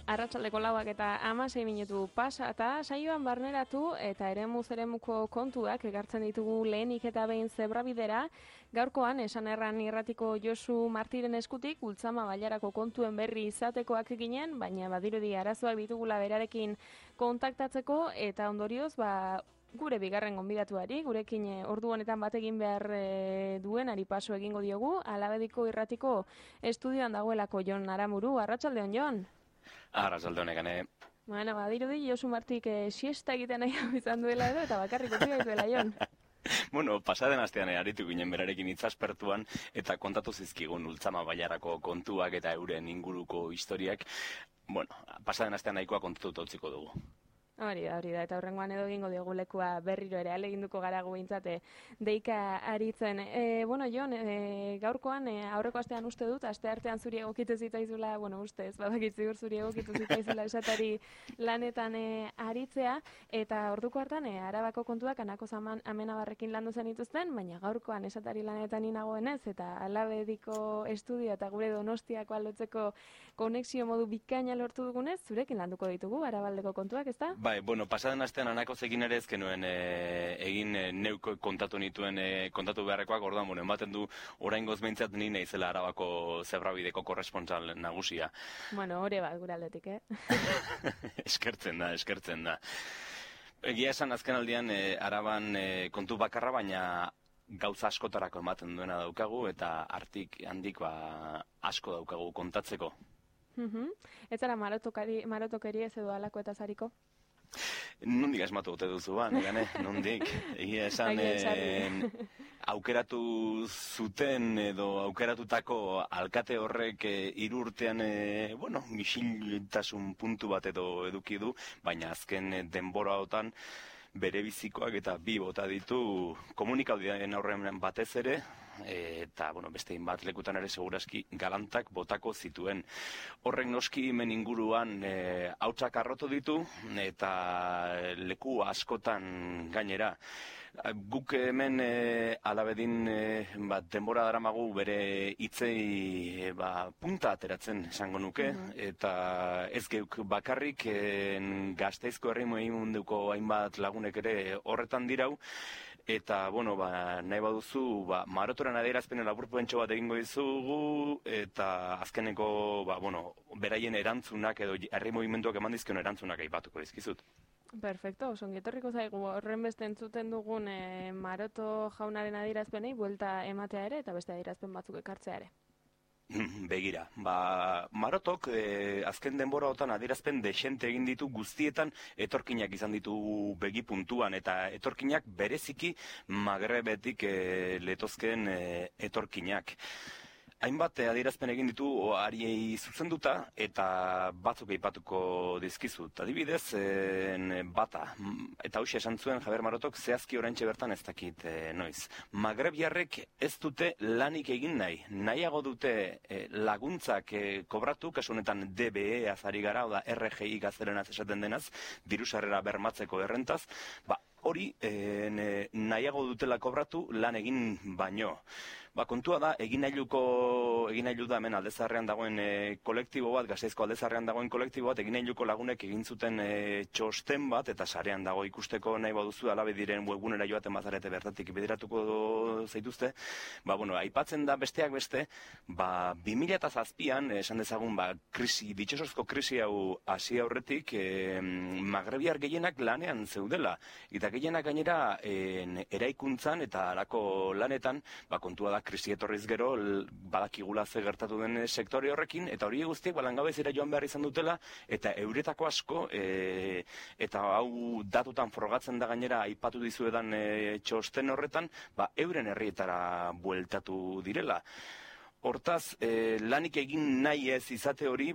Arratsaldeko 4 eta 16 minutu pasa eta saioan barneratu eta eremuko kontuak ekartzen ditugu lehenik eta behin zebrabidera. Gaurkoan esan erran irratiko Josu Martiren eskutik Ultzama bailarako kontuen berri izatekoak ginen, baina badirudi arazoak ditugula berarekin kontaktatzeko eta ondorioz gure bigarren gonbidatuari, gurekin ordu honetan bat egin behar duenari paso egingo diogu, Alabediko irratiko estudioan dagoelako Jon Aramuru. Arratsaldeon, Jon. Arratsaldeon egane. Bueno, badirudi Josu Martik siesta egiten nahi izan duela edo, eta bakarrik utzi gaituela, Jon. Bueno, pasaden astean aritu ginen berarekin hitzaspertuan eta kontatu zizkigun Ultzama bailarako kontuak eta euren inguruko historiak. Bueno, pasaden astean nahikoa kontatuta utziko dugu. Hori da, eta horrengoan edo egingo diogu lekua berriro ere, aleginduko gara guintzate deika aritzen. Bueno, Jon, gaurkoan aurreko astean uste dut, aste artean zuri egokitu zitaizula, bueno, ustez, badakitzigur zuri egokitu zitaizula esatari lanetan aritzea, eta orduko hartan Arabako kontuak Anako Amenabarrekin landu zen dituzten, baina gaurkoan esatari lanetan inagoenez, eta Alabediko estudio eta gure Donostiako aldotzeko konexio modu bikaina lortu dugunez, zurekin landuko ditugu Arabaldeko kontuak, ezta? Bai, bueno, pasaden astean Anakozekin ere ezkenuen egin neuk kontatu nituen kontatu beharrekoak, orduan, bueno, ematen du oraingoz behintzat ni naizela Arabako zebrabideko korrespontsal nagusia. Bueno, hori bat gure aldetik, Eskertzen da. Egia esan azken aldian Araban kontu bakarra, baina gauza askotarako ematen duena daukagu eta artik handik asko daukagu kontatzeko. Ez zara marotokeri ez edo alako eta zariko? Nondik asmatu dute duzu negane, nondik. Egia esan aukeratu zuten edo aukeratutako alkate horrek 3 urtean, misiltasun puntu bat edo eduki du, baina azken denbora hotan bere bizikoak eta 2 bota ditu komunikabidearen aurrean batez ere, eta bestein bat lekutan ere seguraski galantak botako zituen. Horrek noski hemen inguruan hautsak arrotu ditu eta leku askotan gainera. Guk hemen Alabedin denbora daramagu bere hitzei punta ateratzen esango nuke, eta ez geuk bakarrik Gasteizko herri mugimenduko hainbat lagunek ere horretan dirau, eta, nahi baduzu, marotoren adierazpenen laburpentxo bat egingo dizugu, eta azkeneko, beraien erantzunak edo herri mugimenduak eman dizkion erantzunak aipatuko dizkizut. Perfecto, ongetorriko zaigu horren beste entzuten dugun Maroto jaunaren adierazpenei buelta ematea ere eta beste adierazpen batzuk ekartzea ere. Begira, Marotok azken denbora hotan adierazpen dexente egin ditu guztietan etorkinak izan ditu begi puntuan, eta etorkinak bereziki Magrebetik letozken etorkinak. Hainbat adierazpen egin ditu hariei zuzenduta eta batzuk aipatuko dizkizut. Adibidez, bata, eta hauxe esan zuen Javier Marotok zehazki oraintxe bertan ez dakit noiz. Magrebiarrek ez dute lanik egin nahiago dute laguntzak kobratu, kasu honetan DBE azari gara, oda RGI gaztelenaz esaten denaz, dirusarrera bermatzeko errentaz, hori nahiago dutela kobratu lan egin baino. Kontua da, egin nahi da hemen aldezarrean dagoen kolektibo bat, Gasteizko aldezarrean dagoen kolektibo bat, egin nahi lagunek egin zuten txosten bat, eta sarean dago ikusteko nahi baduzu Alabediren webgunera joaten bazarete bertatik bideratuko zaituzte. Aipatzen da besteak beste, 2007an, esan dezagun, ditxosozko krisi hau hasi aurretik, magrebiar gehienak lanean zeudela, eta gehienak gainera eraikuntzan eta alako lanetan, kontua da krisi etorriz gero, badakigula ze gertatu den sektore horrekin, eta hori guztiek langabezira joan behar izan dutela, eta euretako asko, eta hau datutan frogatzen da gainera aipatu dizuedan txosten horretan, euren herrietara bueltatu direla. Hortaz, lanik egin nahi ez izate hori,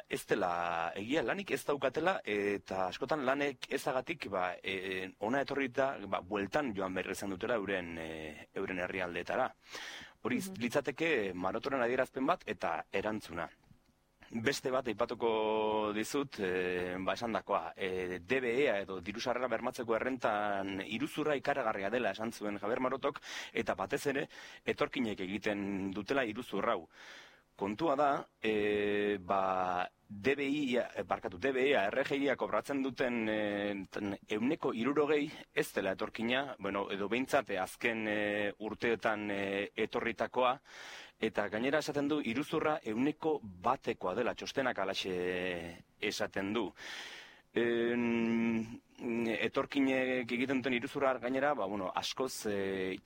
ez dela egia, lanik ez daukatela, eta askotan lanek ezagatik, ona etorrita, bueltan joan behar izan dutela euren herrialdeetara. Hori litzateke Marotoren adierazpen bat eta erantzuna. Beste bat aipatuko dizut, esandakoa, DBE edo dirusarrera bermatzeko errentan iruzurra ikaragarria dela esan zuen Javier Marotok, eta batez ere etorkinek egiten dutela iruzurra hau. Kontua da, DBA, RGIa kobratzen duten 60% ez dela etorkina, edo behintzat azken urteetan etorritakoa, eta gainera esaten du, iruzurra 1%koa dela, txostenak alaxe esaten du. Etorkinek egiten duten iruzurra gainera, askoz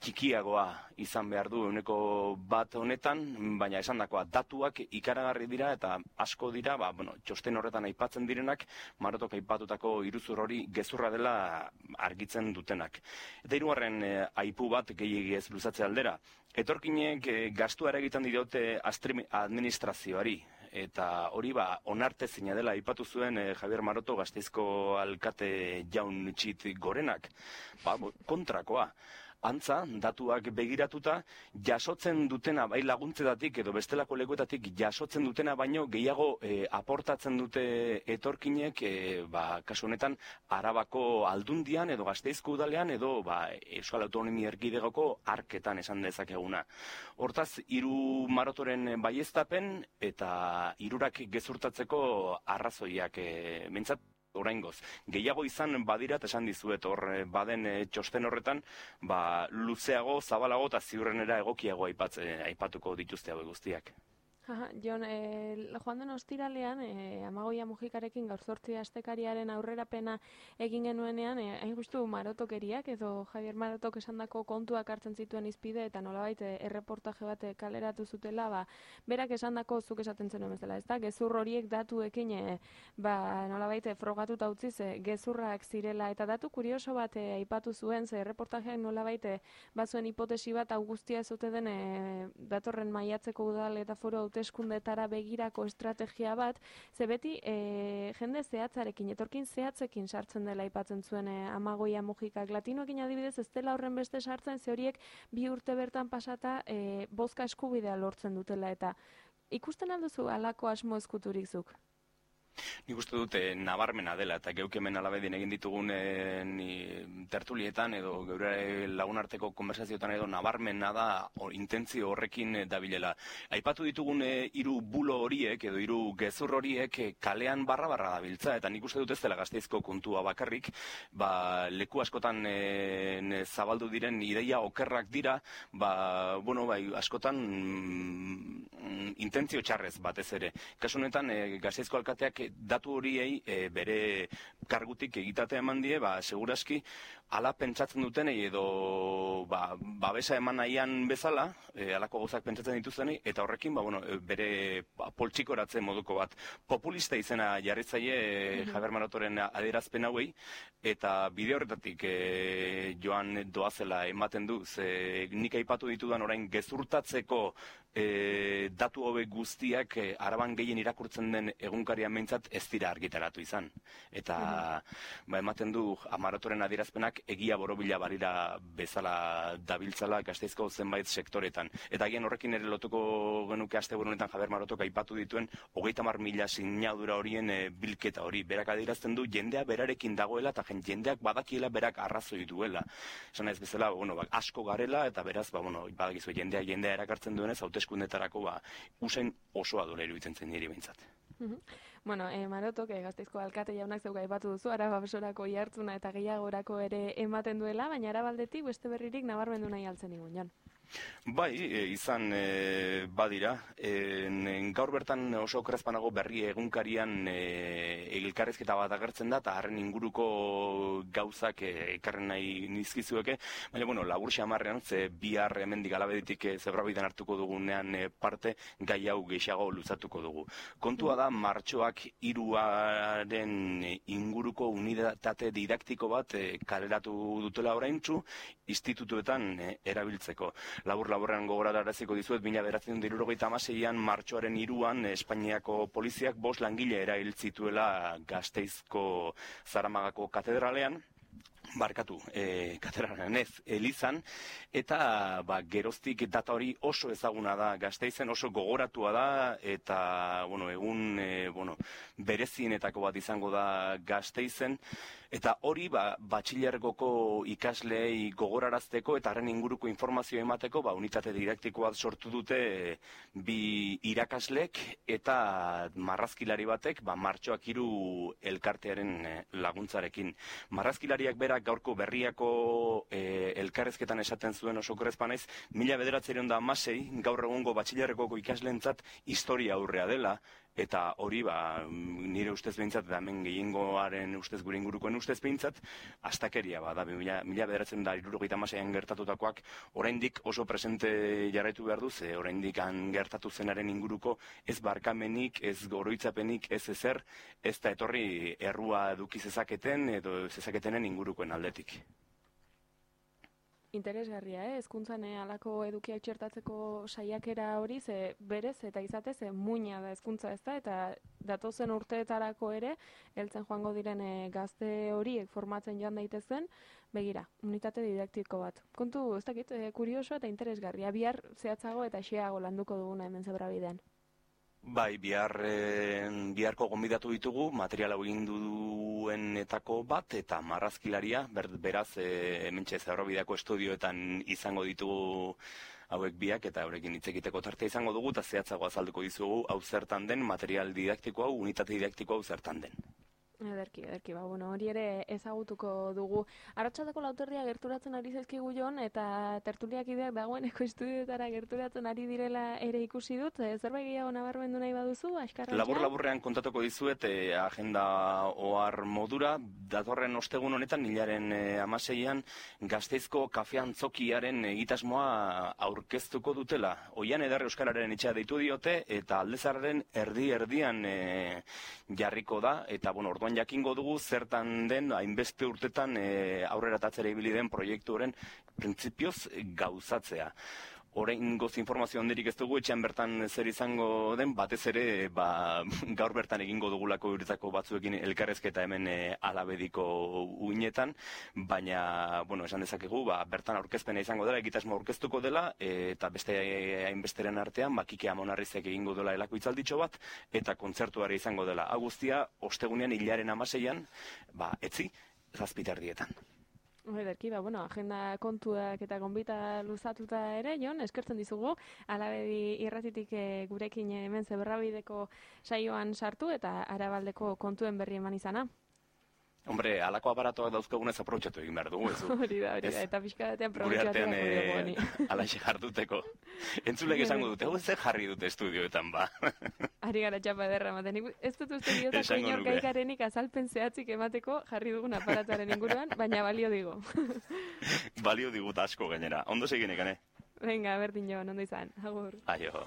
txikiagoa izan behar du 1% honetan, baina esandakoa datuak ikaragarri dira eta asko dira, txosten horretan aipatzen direnak, Marotok aipatutako iruzur hori gezurra dela argitzen dutenak. Eta hirugarren aipu bat gehiegi ez luzatze aldera. Etorkinek gastua egiten diote administrazioari, eta hori onartezina dela aipatu zuen Javier Maroto Gasteizko alkate jaun txit gorenak. Kontrakoa. Antza, datuak begiratuta, jasotzen dutena, bai laguntzetatik edo bestelako lekuetatik jasotzen dutena, baino gehiago aportatzen dute etorkinek, kasu honetan, Arabako Aldundian edo Gasteizko udalean edo Euskal Autonomia Erkidegoko arketan esan dezakeguna. Hortaz, 3 Marotoren baieztapen eta 3 gezurtatzeko arrazoiak mentzat, oraingoz. Gehiago izan badirat esan dizuet hor baden txosten horretan, luzeago, zabalago eta ziurrenera egokiago aipatuko dituzte hau guztiak. Jon, joan den ostiralean, Amagoia Mujikarekin gaur 8 astekariaren aurrerapena egin genuenean, hain justu Marotokeriak edo Javier Marotok esandako kontuak hartzen zituen izpide eta nolabait erreportaje bat kaleratu zutela, berak esandako zuk esaten zenuen bezala, ezta? Gezur horiek datuekin nolabait frogatuta utziz gezurrak zirela eta datu kurioso bat aipatu zuen, ze erreportajeak nolabait bazuen hipotesi bat hau guztia zute den datorren maiatzeko udal eta foro hauteskundetara begirako estrategia bat, ze beti jende zehatzarekin, etorkin zehatzekin sartzen dela aipatzen zuen Amagoia Mujikak. Latinoekin adibidez ez dela horren beste sartzen, ze horiek 2 urte bertan pasata bozka eskubidea lortzen dutela, eta ikusten alduzu halako asmo ezkuturik zuk? Nik uste dute nabarmena dela, eta geuk hemen alabedin egin ditugun tertulietan edo geure lagunarteko konversazioetan edo nabarmena da intentzio horrekin dabilela. Aipatu ditugun 3 bulo horiek edo 3 gezur horiek kalean barra dabiltza, eta nik uste dut ez dela Gasteizko kontua bakarrik, leku askotan zabaldu diren ideia okerrak dira, askotan intentzio txarrez batez ere. Kasu honetan Gasteizko alkateak datu horiei bere kargutik egitatea eman die, seguraski ala pentsatzen dutenei edo babesa eman nahian bezala, alako gauzak pentsatzen dituztenei, eta horrekin bere poltsikoratze moduko bat. Populista izena jarritzaile Javier Marotoren adierazpen hauei, eta bide horretatik joan doazela ematen du, ze nik aipatu ditudan orain gezurtatzeko datu hobek guztiak Araban gehien irakurtzen den egunkaria meintzat ez dira argitaratu izan. Eta ematen du Marotoren adierazpenak egia borobila barira bezala dabiltzala Gasteizko zenbait sektoretan. Eta agian horrekin ere lotuko genuke asteburu honetan Javier Marotok aipatu dituen 30.000 sinadura horien bilketa hori. Berak adierazten du jendea berarekin dagoela eta jendeak badakiela berak arrazoi duela. Esan ez bezala, asko garela eta beraz, badakizu jendea erakartzen duenez, hauteskundetarako usain osoa duela iruditzen zen niri behintzat. Marotok Gasteizko alkate jaunak zeuga aipatu duzu, Araba besorako jartzuna eta gehiagorako ere ematen duela, baina Arabaldetik beste berririk nabarmendu nahi altzen igun, Jon. Bai, izan badira. Gaur bertan oso okerrezpanago berri egunkarian elkarrizketa bat agertzen da, eta harren inguruko gauzak ekarren nahi nizkizueke, baina, labur xamarrean, ze bihar hemendik alabeditik zebrabiden hartuko dugunean parte, gai hau gehiago luzatuko dugu. Kontua da, martxoak 3 inguruko unitate didaktiko bat kaleratu dutela oraintsu, institutuetan erabiltzeko. Labur-laburrean gogorararaziko dizuet, 1976an martxoaren 3an Espainiako poliziak 5 langile erail zituela Gasteizko Zaramagako katedralean. katedralan ez, Elizan, eta geroztik data hori oso ezaguna da Gasteizen, oso gogoratua da, eta egun berezienetako bat izango da Gasteizen, eta hori batxilergoko ikasleei gogorarazteko eta haren inguruko informazio emateko unitate didaktiko bat sortu dute bi irakaslek eta marrazkilari batek Martxoak 3 elkartearen laguntzarekin. Marrazkilariak berak gaurko berriako elkarrezketan esaten zuen oso korrezpanaiz, 1916 gaur egungo batxilergoko ikasleentzat historia aurrea dela, eta hori nire ustez behintzat, eta hemen gehiengoaren ustez gure ingurukoen ustez behintzat, astakeria da, 1976an gertatutakoak, oraindik oso presente jarraitu behar du, ze oraindik gertatu zenaren inguruko ez barkamenik, ez oroitzapenik, ez ezer, ez da etorri errua eduki zezaketen edo zezaketenen ingurukoen aldetik. Interesgarria, hezkuntzan halako edukiak txertatzeko saiakera hori, ze berez eta izatez muina da hezkuntza ez da, eta datozen urteetarako ere, heltzen joango diren gazte horiek formatzen joan daitezen, begira, unitate didaktiko bat. Kontu, ez dakit, kurioso eta interesgarria, bihar zehatzago eta xeago landuko duguna hemen Zebrabidean. Bai, biharko gonbidatu ditugu, materiala egin duenetako bat, eta marrazkilaria, beraz, hementxe Zebrabideako estudioetan izango ditugu hauek biak, eta horrekin hitz egiteko tartea izango dugu, eta zehatzago azalduko dizugu hau zertan den, material didaktiko hau, unitate didaktiko hau zertan den. Ederki, hori ere ezagutuko dugu. Arratsaldeko 4:00 gerturatzen ari zaizkigu Jon, eta tertuliak ideak dagoeneko estudioetara gerturatzen ari direla ere ikusi dut. Zerbait gehiago nabarmendu nahi baduzu, askarratxa? Labur-laburrean kontatuko dizuet, agenda ohar modura, datorren ostegun honetan, hilaren 16an, Gasteizko kafe antzokiaren egitasmoa aurkeztuko dutela. Oian Eder Euskararen etxea deitu diote, eta Aldezarraren erdi-erdian jarriko da, eta orduan jakingo dugu zertan den hainbeste urtetan aurrera tatzera ibili den proiektuaren printzipioz gauzatzea. Oraingoz informazio handirik ez dugu, etxean bertan zer izango den, batez ere gaur bertan egingo dugulako uretako batzuekin elkarrezketa hemen Alabediko uinetan, baina, esan dezakegu, bertan aurkezpena izango dela, egitasmo aurkeztuko dela, eta beste hainbesteren artean, Kike Amonarrizek egingo dela elako hitzalditxo bat, eta kontzertuare izango dela. Hau guztia, ostegunean hilaren 16an, etzi, 7:00. Ederki, agenda kontuak eta gonbita luzatuta ere, Jon, eskertzen dizugu, Alabedi irratitik gurekin hemen Zebrabideko saioan sartu eta Arabaldeko kontuen berri eman izana. Hombre, alako aparatoak dauzkagunez aprobetxatu egin behar dugu, ez du? Hori da, eta pixka batean gure artean alaxe jarduteko. Entzulek esango dute, ze jarri dute estudioetan, Ari gara txapa ederra ematen. Ez dut uste diotako inorkaikarenik azalpen zehatzik emateko jarri dugun aparatuaren inguruan, baina balio digu. Balio digut asko gainera. Ondo seginek, ane? Venga, berdin Jon, ondo izan. Agur. Aio.